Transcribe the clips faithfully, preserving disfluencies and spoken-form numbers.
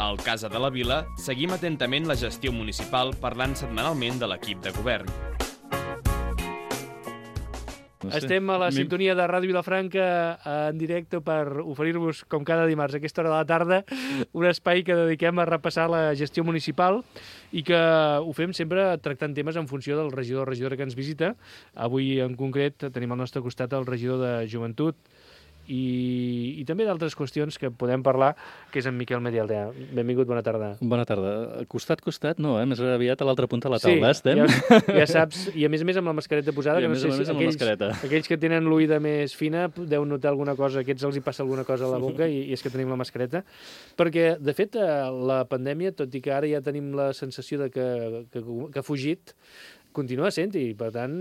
Al Casa de la Vila seguim atentament la gestió municipal parlant setmanalment de l'equip de govern. No sé. Estem a la sintonia de Ràdio Vilafranca en directe per oferir-vos, com cada dimarts, a aquesta hora de la tarda, un espai que dediquem a repassar la gestió municipal i que ho fem sempre tractant temes en funció del regidor o regidora que ens visita. Avui, en concret, tenim al nostre costat el regidor de Joventut i, i també d'altres qüestions que podem parlar, que és en Miquel Medialdea. Benvingut, bona tarda. Bona tarda. Costat, costat, no, eh? Més aviat a l'altra punta de la taula, sí, estem? Ja, ja saps, i a més a més amb la mascareta posada, I que no més sé a si més amb aquells, la mascareta. aquells que tenen l'oïda més fina deuen notar alguna cosa, aquests els hi passa alguna cosa a la boca i, i és que tenim la mascareta. Perquè, de fet, la pandèmia, tot i que ara ja tenim la sensació de que, que, que ha fugit, continua sent i, per tant,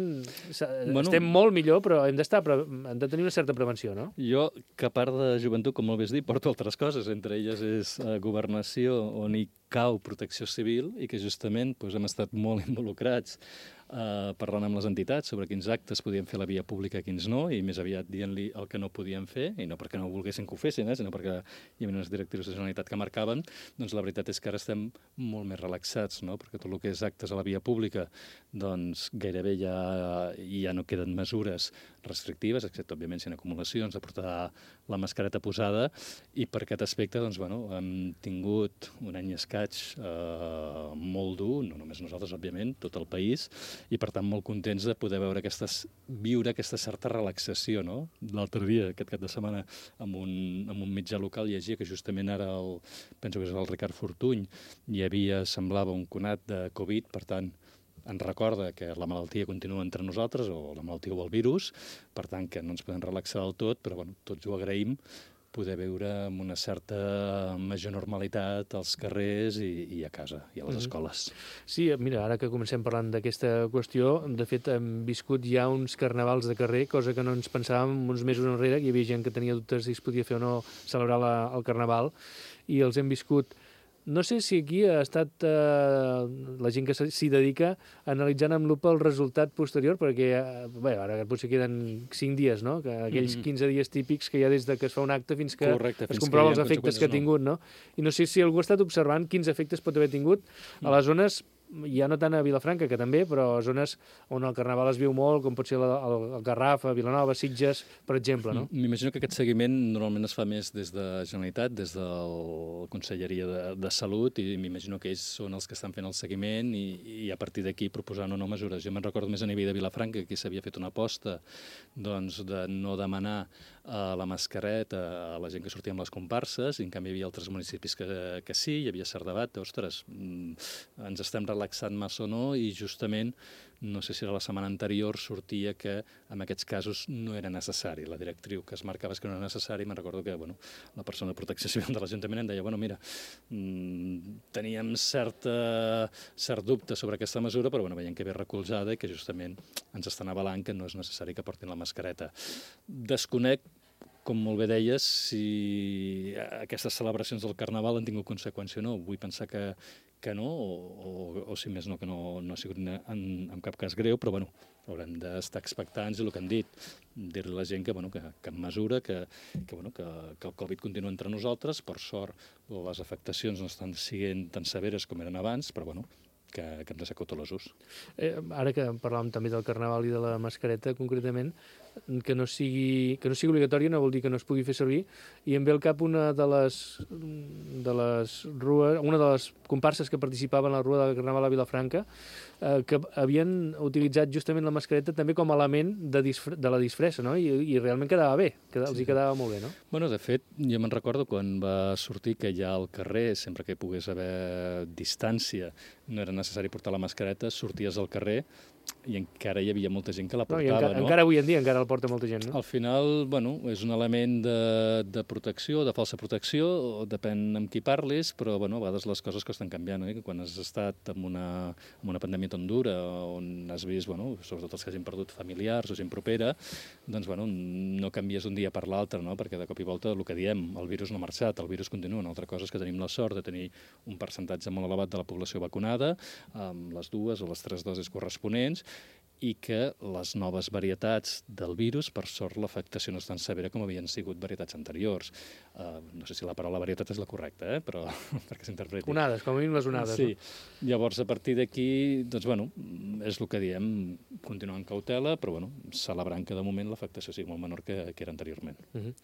bueno, estem molt millor, però hem d'estar, hem de tenir una certa prevenció, no? Jo, que a part de joventut, com molt bé has dit, porto altres coses. Entre elles és eh, governació, on hi cau protecció civil i que justament doncs, hem estat molt involucrats eh, parlant amb les entitats sobre quins actes podien fer a la via pública i quins no, i més aviat dient-li el que no podien fer, i no perquè no volguessin que ho fessin, eh, sinó perquè hi havia unes directrius de Generalitat que marcaven, doncs la veritat és que ara estem molt més relaxats, no? Perquè tot el que és actes a la via pública doncs gairebé ja, ja no queden mesures restrictives, excepte, òbviament, si hi ha acumulacions, de portar la mascareta posada, i per aquest aspecte, doncs, bueno, hem tingut un any i escaig eh, molt dur, no només nosaltres, òbviament, tot el país, i per tant molt contents de poder veure aquestes, viure aquesta certa relaxació, no? L'altre dia, aquest cap de setmana, amb un, amb un mitjà local llegia que justament ara, el, penso que és el Ricard Fortuny, hi havia, semblava un conat de Covid, per tant, ens recorda que la malaltia continua entre nosaltres, o la malaltia o el virus, per tant que no ens podem relaxar del tot, però bueno, tots ho agraïm, poder viure amb una certa major normalitat als carrers i, i a casa, i a les escoles. Sí, mira, ara que comencem parlant d'aquesta qüestió, de fet hem viscut ja uns carnavals de carrer, cosa que no ens pensàvem uns mesos enrere, que hi havia gent que tenia dubtes si es podia fer o no celebrar la, el carnaval, i els hem viscut. No sé si aquí ha estat eh, la gent que s'hi dedica analitzant amb lupa el resultat posterior, perquè eh, bé, ara potser queden cinc dies, no? Que aquells quinze dies típics que hi ha des de que es fa un acte fins que Correcte, es fins comprova que els efectes que ha tingut, no? I no sé si algú ha estat observant quins efectes pot haver tingut a les zones, ja no tant a Vilafranca, que també, però a zones on el carnaval es viu molt, com pot ser el, el, el Garraf, a Vilanova, Sitges, per exemple, no? M'imagino que aquest seguiment normalment es fa més des de Generalitat, des de la Conselleria de, de Salut, i m'imagino que ells són els que estan fent el seguiment i, i a partir d'aquí proposant o no mesures. Jo me'n recordo més a nivell de Vilafranca, que s'havia fet una aposta doncs, de no demanar uh, la mascareta a la gent que sortia amb les comparses, i en canvi hi havia altres municipis que, que sí, hi havia cert debat, ostres, ens estem relaxant massa o no, i justament, no sé si era la setmana anterior, sortia que en aquests casos no era necessari. La directriu que es marcava és que no era necessari, me'n recordo que bueno, la persona de protecció civil de l'Ajuntament em deia, bueno, mira, mmm, teníem certa, cert dubte sobre aquesta mesura, però bueno, veiem que ve recolzada i que justament ens estan avalant que no és necessari que portin la mascareta. Desconec, com molt bé deies, si aquestes celebracions del Carnaval han tingut conseqüència o no. Vull pensar que, que no, o, o, o si més no, que no, no ha sigut en, en cap cas greu, però bueno, haurem d'estar expectants i el que hem dit, dir-li a la gent que, bueno, que, que en mesura, que, que, bueno, que, que el Covid continua entre nosaltres, per sort les afectacions no estan sent tan severes com eren abans, però bueno, que, que hem de ser cautelosos. Eh, ara que parlàvem també del Carnaval i de la mascareta, concretament, que no sigui, que no sigui obligatòria no vol dir que no es pugui fer servir, i em ve al cap una de les, de les rues, una de les comparses que participaven a la Rua del Carnaval a Vilafranca, eh, que havien utilitzat justament la mascareta també com a element de, disfre, de la disfressa, no? I, i realment quedava bé, que els hi quedava molt bé, no? Bueno, de fet, jo me'n recordo quan va sortir que ja al carrer, sempre que hi pogués haver distància, no era necessari portar la mascareta, sorties al carrer i encara hi havia molta gent que la portava, no? Encara, no? encara avui en dia encara el porta molta gent, no? Al final, bueno, és un element de, de protecció, de falsa protecció, depèn amb qui parlis, però bueno, a vegades les coses que estan canviant, eh? Quan has estat en una, en una pandèmia tan dura, on has vist, bueno, sobretot els que hagin perdut familiars o gent propera, doncs bueno, no canvies un dia per l'altre, no? Perquè de cop i volta el que diem, el virus no ha marxat, el virus continua. Una altra cosa és que tenim la sort de tenir un percentatge molt elevat de la població vacunada, amb les dues o les tres dosis corresponents, i que les noves varietats del virus, per sort, l'afectació no és tan severa com havien sigut varietats anteriors. Uh, no sé si la paraula varietat és la correcta, eh? Però perquè s'interpreti. Onades, com a mínim les onades. Sí. No? Llavors, a partir d'aquí, doncs, bueno, és el que diem, continuar amb cautela, però, bueno, celebrant que de moment l'afectació sigui molt menor que, que era anteriorment. Uh -huh.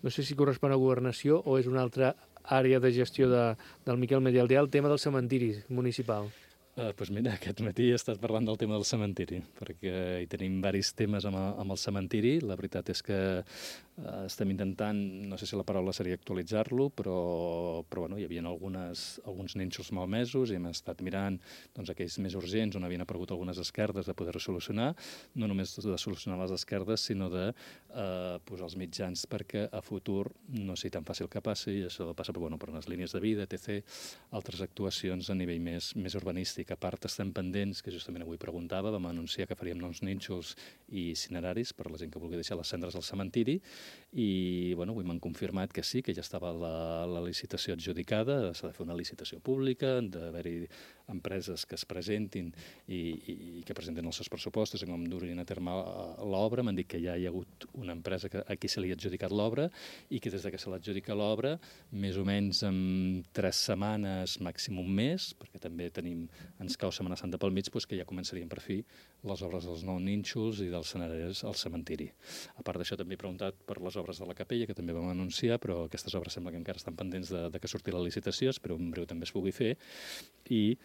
No sé si correspon a governació o és una altra àrea de gestió de, del Miquel Medialdea, el tema del cementiri municipal. Uh, doncs mira, aquest matí he estat parlant del tema del cementiri, perquè hi tenim diversos temes amb el, amb el cementiri. La veritat és que uh, estem intentant, no sé si la paraula seria actualitzar-lo, però, però bueno, hi havia algunes, alguns nínxols malmesos i hem estat mirant doncs, aquells més urgents on havien aparegut algunes esquerdes de poder solucionar, no només de solucionar les esquerdes, sinó de uh, posar els mitjans perquè a futur no sigui tan fàcil que passi, i això passa per, bueno, per unes línies de vida, etcètera, altres actuacions a nivell més, més urbanístic. A part, estem pendents, que justament avui preguntava, vam anunciar que faríem nous nínxols i itineraris per a la gent que vulgui deixar les cendres al cementiri, i bueno, avui m'han confirmat que sí, que ja estava la, la licitació adjudicada, s'ha de fer una licitació pública, han d'haver-hi empreses que es presentin i, i, i que presenten els seus pressupostos i com durin a terme l'obra. M'han dit que ja hi ha hagut una empresa que a qui se li ha adjudicat l'obra i que des que se l'adjudica l'obra, més o menys en tres setmanes, màxim un mes, perquè també tenim, ens cau Setmana Santa pel mig, doncs que ja començarien per fi les obres dels nous nínxols i dels escenaris al cementiri. A part d'això, també he preguntat per les obres de la capella, que també vam anunciar, però aquestes obres sembla que encara estan pendents de, de que surti la licitació, espero en breu també es pugui fer, i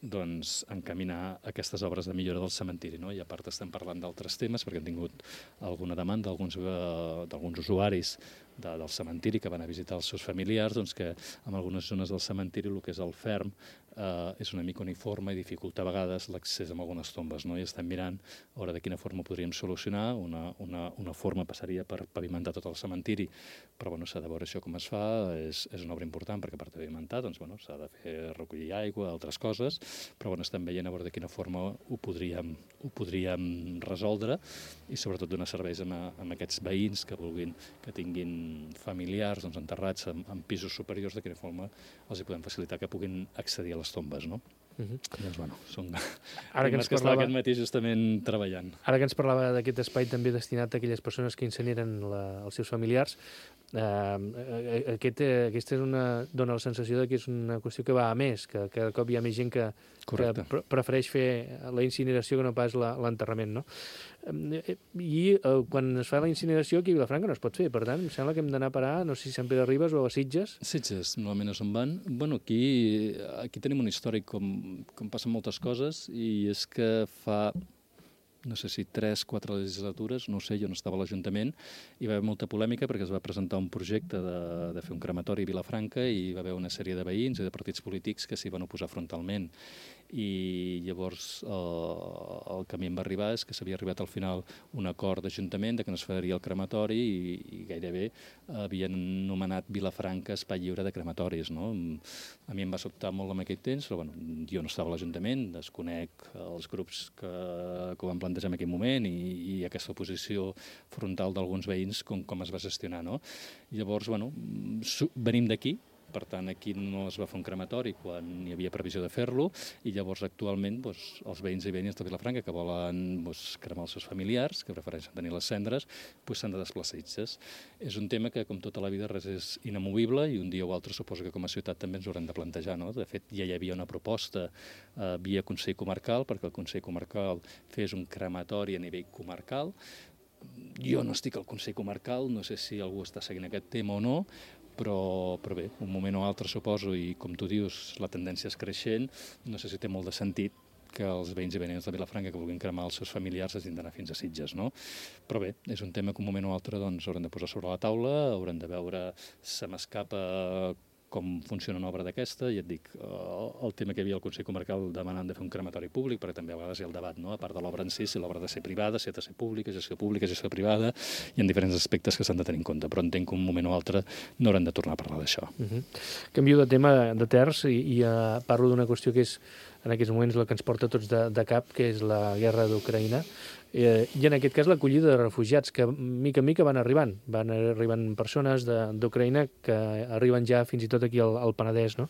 doncs, encaminar aquestes obres de millora del cementiri. No? I a part estem parlant d'altres temes, perquè hem tingut alguna demanda d'alguns uh, usuaris de, del cementiri que van a visitar els seus familiars, doncs que en algunes zones del cementiri el que és el ferm eh, és una mica uniforme i dificulta a vegades l'accés a algunes tombes. No? I estem mirant a veure de quina forma ho podríem solucionar. Una, una, una forma passaria per pavimentar tot el cementiri, però bueno, s'ha de veure això com es fa. És, és una obra important perquè a part de pavimentar doncs, bueno, s'ha de fer recollir aigua, altres coses, però bueno, estem veient a veure de quina forma ho podríem, ho podríem resoldre i sobretot donar serveis a, a aquests veïns que vulguin, que tinguin familiars doncs, enterrats en, en pisos superiors, de quina forma els hi podem facilitar que puguin accedir a les tombes, no? Uh -huh. Doncs, bueno, són ara que ens que parlava... aquest matí justament treballant. Ara que ens parlava d'aquest espai també destinat a aquelles persones que incineren la, els seus familiars, eh, aquest, eh, aquesta és una, dona la sensació de que és una qüestió que va a més, que cada cop hi ha més gent que, que pre prefereix fer la incineració que no pas l'enterrament, no? I eh, quan es fa la incineració aquí a Vilafranca no es pot fer, per tant, em sembla que hem d'anar a parar, no sé si Sant Pere Ribes o a Sitges. Sitges, normalment és on van. Bueno, aquí, aquí tenim un històric com, com passen moltes coses, i és que fa, no sé si tres, quatre legislatures, no ho sé, jo no estava a l'Ajuntament, hi va haver molta polèmica perquè es va presentar un projecte de, de fer un crematori a Vilafranca i hi va haver una sèrie de veïns i de partits polítics que s'hi van oposar frontalment. I llavors eh, el que a mi em va arribar és que s'havia arribat al final un acord d'Ajuntament de que no es faria el crematori i, i gairebé havien nomenat Vilafranca espai lliure de crematoris. No? A mi em va sobtar molt en aquell temps, però bueno, jo no estava a l'Ajuntament, desconec els grups que, que ho van plantejar en aquell moment i, i aquesta oposició frontal d'alguns veïns com, com es va gestionar. No? Llavors, bueno, venim d'aquí. Per tant, aquí no es va fer un crematori quan hi havia previsió de fer-lo i llavors actualment doncs, els veïns i veïnes de Vilafranca que volen doncs, cremar els seus familiars, que prefereixen tenir les cendres, doncs, s'han de desplaçar a Sitges. És un tema que, com tota la vida, res és inamovible i un dia o altre suposo que com a ciutat també ens ho haurem de plantejar. No? De fet, ja hi havia una proposta eh, via Consell Comarcal perquè el Consell Comarcal fes un crematori a nivell comarcal. Jo no estic al Consell Comarcal, no sé si algú està seguint aquest tema o no, Però, però bé, un moment o altre suposo, i com tu dius, la tendència és creixent, no sé si té molt de sentit que els veïns i veïnes de Vilafranca que vulguin cremar els seus familiars hagin d'anar fins a Sitges, no? Però bé, és un tema que un moment o altre doncs, haurem de posar sobre la taula, haurem de veure, se m'escapa com funciona una obra d'aquesta, i et dic, el tema que hi havia al Consell Comarcal demanant de fer un crematori públic, perquè també a vegades hi ha el debat, no? A part de l'obra en si, si l'obra ha de ser privada, si ha de ser pública, gestió pública, gestió privada, hi ha diferents aspectes que s'han de tenir en compte, però entenc que un moment o altre no haurem de tornar a parlar d'això. Uh -huh. Canvio de tema de terç i, i uh, parlo d'una qüestió que és en aquests moments la que ens porta tots de, de cap, que és la guerra d'Ucraïna. Eh, I en aquest cas l'acollida de refugiats, que mica en mica van arribant. Van arribant persones d'Ucraïna que arriben ja fins i tot aquí al, al Penedès, no?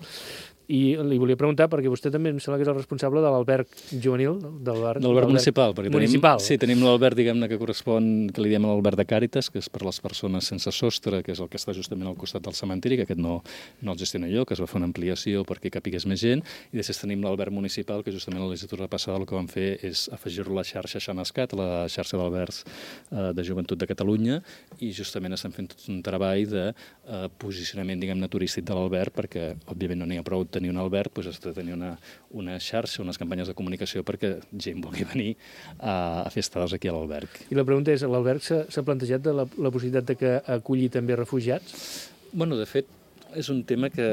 I li volia preguntar, perquè vostè també em sembla que és el responsable de l'alberg juvenil, del bar, de l'alberg municipal, perquè municipal. tenim, sí, tenim l'alberg, diguem-ne, que correspon, que li diem l'alberg de Càritas, que és per les persones sense sostre, que és el que està justament al costat del cementiri, que aquest no, no el gestiono jo, que es va fer una ampliació perquè capigués més gent, i després tenim l'alberg municipal, que justament a la legislatura passada el que vam fer és afegir-lo a la xarxa Xanascat, la xarxa d'albergs eh, de joventut de Catalunya, i justament estem fent tot un treball de eh, posicionament, diguem-ne, turístic de l'alberg, perquè, òbviament, no n'hi ha prou tenir un alberg, doncs has de tenir una, una xarxa, unes campanyes de comunicació perquè gent vulgui venir a, a fer estades aquí a l'alberg. I la pregunta és, l'alberg s'ha plantejat de la, la possibilitat de que aculli també refugiats? Bueno, de fet, és un tema que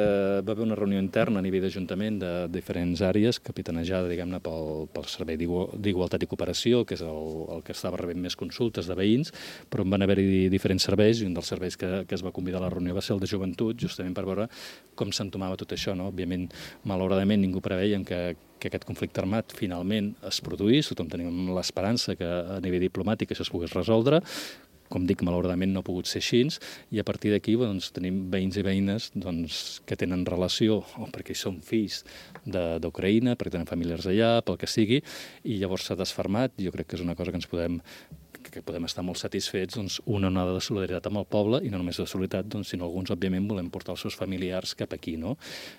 va haver una reunió interna a nivell d'Ajuntament de diferents àrees, capitanejada, diguem-ne, pel, pel Servei d'Igualtat i Cooperació, que és el, el que estava rebent més consultes de veïns, però en van haver-hi diferents serveis, i un dels serveis que, que es va convidar a la reunió va ser el de joventut, justament per veure com s'entomava tot això, no? Òbviament, malauradament, ningú preveiem que, que aquest conflicte armat finalment es produís, tothom tenim l'esperança que a nivell diplomàtic això es pogués resoldre. Com dic, malauradament no ha pogut ser així, i a partir d'aquí doncs, tenim veïns i veïnes doncs, que tenen relació, o perquè són fills d'Ucraïna, perquè tenen familiars allà, pel que sigui, i llavors s'ha desfermat. Jo crec que és una cosa que ens podem que podem estar molt satisfets, doncs, una onada de solidaritat amb el poble, i no només de solidaritat, doncs, sinó alguns, òbviament, volem portar els seus familiars cap aquí, no?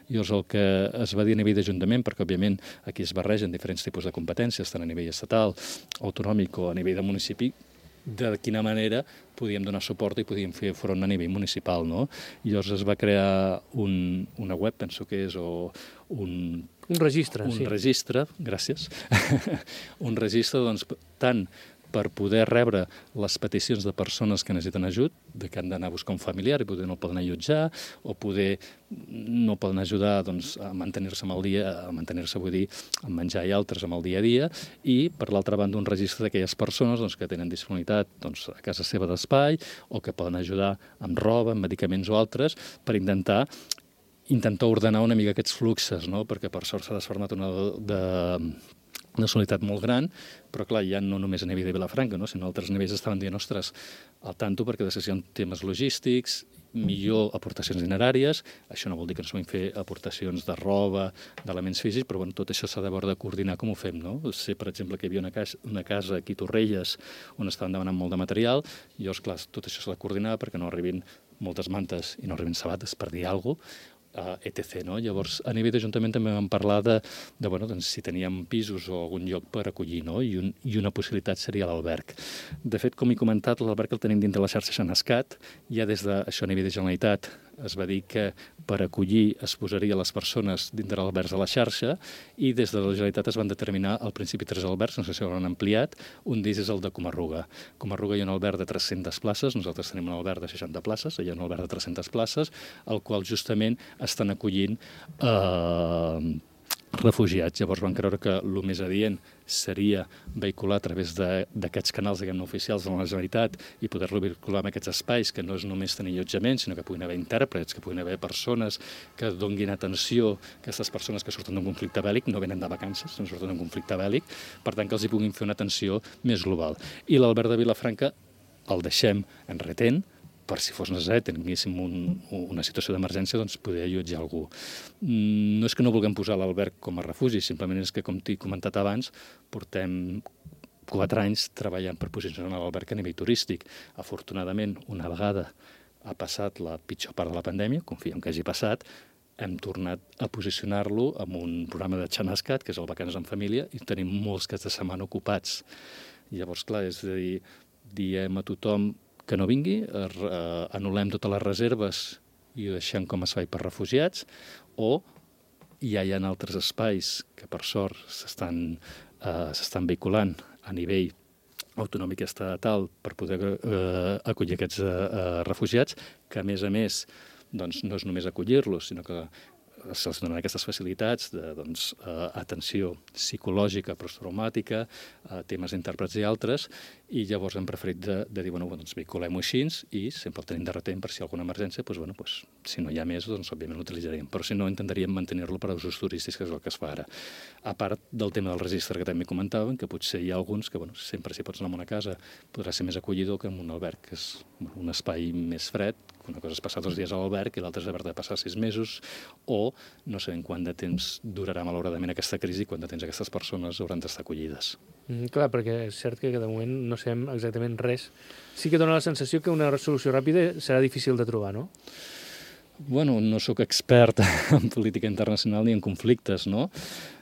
Llavors, el que es va dir a nivell d'Ajuntament, perquè, òbviament, aquí es barregen diferents tipus de competències, tant a nivell estatal, autonòmic o a nivell de municipi, de quina manera podíem donar suport i podíem fer front a nivell municipal, no? Llavors es va crear un, una web, penso que és, o un... Un registre, un sí. Un registre, gràcies. un registre, doncs, tant per poder rebre les peticions de persones que necessiten ajut, de que han d'anar a buscar un familiar i poder no el poden allotjar, o poder no poden ajudar doncs, a mantenir-se amb el dia, a mantenir-se, vull dir, a menjar i altres amb el dia a dia, i, per l'altra banda, un registre d'aquelles persones doncs, que tenen disponibilitat doncs, a casa seva d'espai, o que poden ajudar amb roba, amb medicaments o altres, per intentar intentar ordenar una mica aquests fluxes, no? Perquè per sort s'ha desformat una de, de una solidaritat molt gran, però clar, ja no només a nivell de Vilafranca, no? Sinó a altres nivells estaven dient, ostres, al tanto perquè després hi ha temes logístics, millor aportacions dineràries, això no vol dir que ens puguin fer aportacions de roba, d'elements físics, però bueno, tot això s'ha de veure de coordinar com ho fem, no? Sé, per exemple, que hi havia una casa, una casa aquí a Torrelles on estaven demanant molt de material, i llavors, clar, tot això s'ha de coordinar perquè no arribin moltes mantes i no arribin sabates, per dir alguna cosa, Uh, et cetera. No? Llavors, a nivell d'Ajuntament també vam parlar de, de bueno, doncs, si teníem pisos o algun lloc per acollir, no? I, un, i una possibilitat seria l'alberg. De fet, com he comentat, l'alberg el tenim dintre la xarxa Xanascat, ja des de això a nivell de Generalitat es va dir que per acollir es posaria les persones dintre l'alberg de la xarxa, i des de la Generalitat es van determinar al principi tres albergs, no sé si ho han ampliat, un d'ells és el de Comarruga. Comarruga hi ha un alberg de tres-centes places, nosaltres tenim un alberg de seixanta places, hi ha un alberg de tres-centes places, el qual justament estan acollint eh, refugiats. Llavors van creure que el més adient seria vehicular a través d'aquests canals, diguem-ne, oficials de la Generalitat i poder-lo vehicular en aquests espais, que no és només tenir allotjament, sinó que puguin haver intèrprets, que puguin haver persones que donguin atenció a aquestes persones que surten d'un conflicte bèl·lic, no venen de vacances, no surten d'un conflicte bèl·lic, per tant que els hi puguin fer una atenció més global. I l'alberg de Vilafranca el deixem en retent, per si fos necessari, tinguéssim un, una situació d'emergència, doncs poder allotjar algú. No és que no vulguem posar l'alberg com a refugi, simplement és que, com t'he comentat abans, portem quatre anys treballant per posicionar l'alberg a nivell turístic. Afortunadament, una vegada ha passat la pitjor part de la pandèmia, confiem que hagi passat, hem tornat a posicionar-lo amb un programa de Xanascat, que és el Vacances en Família, i tenim molts caps de setmana ocupats. Llavors, clar, és a dir, diem a tothom que no vingui, eh, anul·lem totes les reserves i ho deixem com a espai per refugiats, o ja hi ha altres espais que per sort s'estan eh, s'estan vehiculant a nivell autonòmic i estatal per poder eh, acollir aquests eh, refugiats, que a més a més doncs, no és només acollir-los, sinó que se'ls donen aquestes facilitats de doncs, eh, atenció psicològica, posttraumàtica, eh, temes d'intèrprets i altres, i llavors hem preferit de, de dir, bueno, doncs vehiculem-ho així i sempre el tenim de retent per si hi ha alguna emergència, doncs, bueno, doncs, Si no hi ha més, doncs, òbviament, l'utilitzaríem. Però si no, intentaríem mantenir-lo per a usos turístics, que és el que es fa ara. A part del tema del registre que també comentaven, que potser hi ha alguns que, bueno, sempre si pots anar a una casa podrà ser més acollidor que en un alberg, que és un espai més fred, que una cosa és passar dos dies a l'alberg i l'altra és haver de passar sis mesos, o no sabem quant de temps durarà malauradament aquesta crisi i quant de temps aquestes persones hauran d'estar acollides. Mm, clar, perquè és cert que de moment no sabem exactament res. Sí que dona la sensació que una solució ràpida serà difícil de trobar, no? Bueno, no sóc expert en política internacional ni en conflictes, no?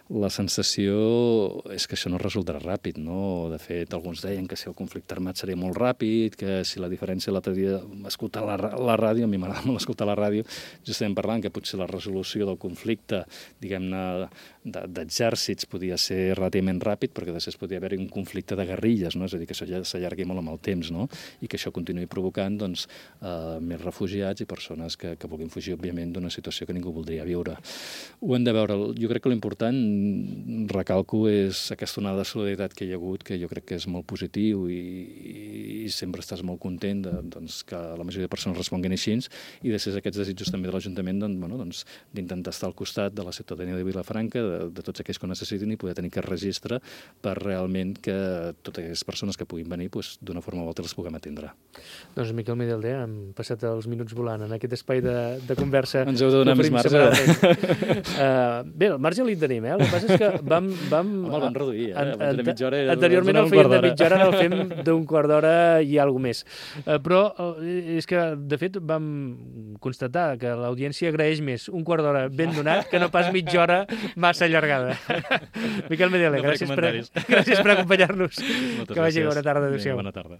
La sensació és que això no resultarà ràpid, no? De fet, alguns deien que si el conflicte armat seria molt ràpid, que si la diferència l'altre dia escoltar la, la ràdio, a mi m'agrada molt escoltar la ràdio, ja estem parlant que potser la resolució del conflicte, diguem-ne, d'exèrcits podia ser relativament ràpid, perquè després podia haver-hi un conflicte de guerrilles, no? És a dir, que això ja s'allargui molt amb el temps, no? I que això continuï provocant, doncs, eh, més refugiats i persones que, que vulguin fugir, òbviament, d'una situació que ningú voldria viure. Ho hem de veure. Jo crec que l'important, recalco, és aquesta onada de solidaritat que hi ha hagut, que jo crec que és molt positiu i, i sempre estàs molt content de, doncs, que la majoria de persones responguin així, i després aquests desitjos també de l'Ajuntament doncs, bueno, doncs, d'intentar estar al costat de la ciutadania de Vilafranca, de, de tots aquells que ho necessitin, i poder tenir aquest registre per realment que totes aquelles persones que puguin venir doncs, d'una forma o altra les puguem atendre. Doncs Miquel Medialder, hem passat els minuts volant en aquest espai de, de conversa. Ens heu de donar més marge. uh, bé, el marge li tenim, eh? El que passa és que vam... vam Home, el vam reduir, eh? An, an, de mitja hora era anteriorment el fèiem de mitja hora, ara el fem d'un quart d'hora i alguna més. Uh, però uh, és que, de fet, vam constatar que l'audiència agraeix més un quart d'hora ben donat que no pas mitja hora massa allargada. Miquel Medialder, no gràcies, per, gràcies per acompanyar-nos. Que vagi bona tarda. Adéu-siau. Bona tarda.